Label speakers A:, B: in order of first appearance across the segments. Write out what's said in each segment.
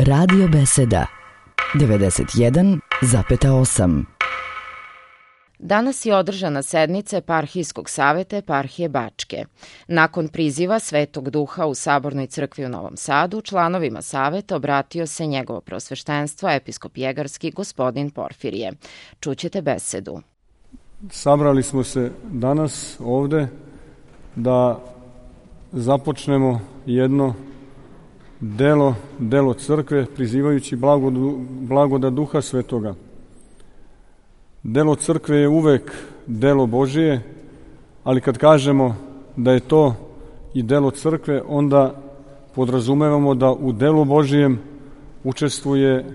A: Radio Beseda 91,8.
B: Danas je održana sednica Eparhijskog saveta Eparhije Bačke. Nakon priziva Svetog Duha u Sabornoj crkvi u Novom Sadu, članovima saveta obratio se njegovo prosveštenstvo episkop Jegarski gospodin Porfirije. Čućete besedu.
C: Sabrali smo se danas ovde da započnemo jedno delo crkve prizivajući blagodat Duha Svetoga. Delo crkve je uvek delo Božije, ali kad kažemo da je to i delo crkve, onda podrazumevamo da u delu Božijem učestvuje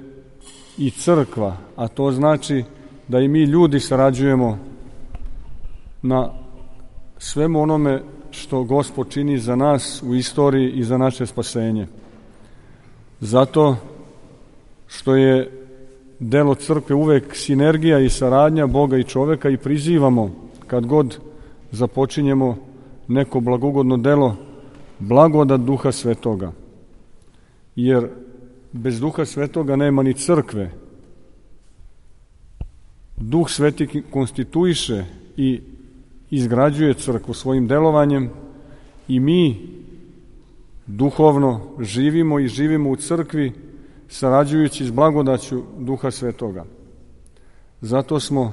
C: i crkva, a to znači da i mi ljudi sarađujemo na svemu onome što Gospod čini za nas u istoriji i za naše spasenje. Zato što je delo crkve uvek sinergija i saradnja Boga i čoveka i prizivamo kad god započinjemo neko blagogodno delo blagodat Duha Svetoga. Jer bez Duha Svetoga nema ni crkve. Duh Sveti konstituiše i izgrađuje crkvu svojim delovanjem i mi duhovno živimo i živimo u crkvi sarađujući s blagodaću Duha Svetoga. Zato smo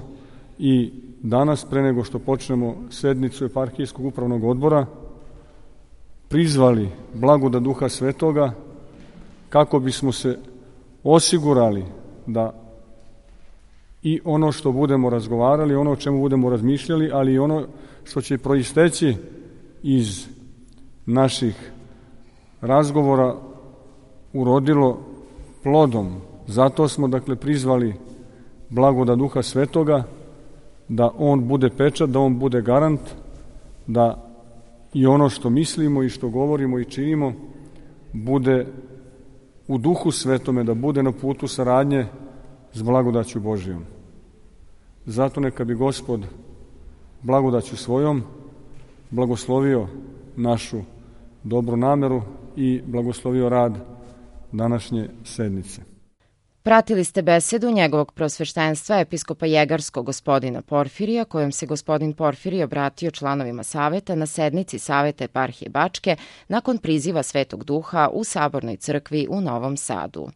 C: i danas, pre nego što počnemo sednicu Eparhijskog upravnog odbora, prizvali blagodat Duha Svetoga kako bismo se osigurali da i ono što budemo razgovarali, ono o čemu budemo razmišljali, ali i ono što će proisteći iz naših razgovora urodilo plodom. Zato smo, prizvali blagodat Duha Svetoga, da on bude pečat, da on bude garant, da i ono što mislimo i što govorimo i činimo bude u Duhu Svetome, da bude na putu saradnje s blagodaću Božijom. Zato neka bi Gospod blagodaću svojom blagoslovio našu dobru nameru i blagoslovio rad današnje sednice.
B: Pratili ste besedu njegovog prosveštenstva episkopa Jegarskog gospodina Porfirija, kojom se gospodin Porfirije obratio članovima saveta na sednici Saveta Eparhije Bačke nakon priziva Svetog Duha u Sabornoj crkvi u Novom Sadu.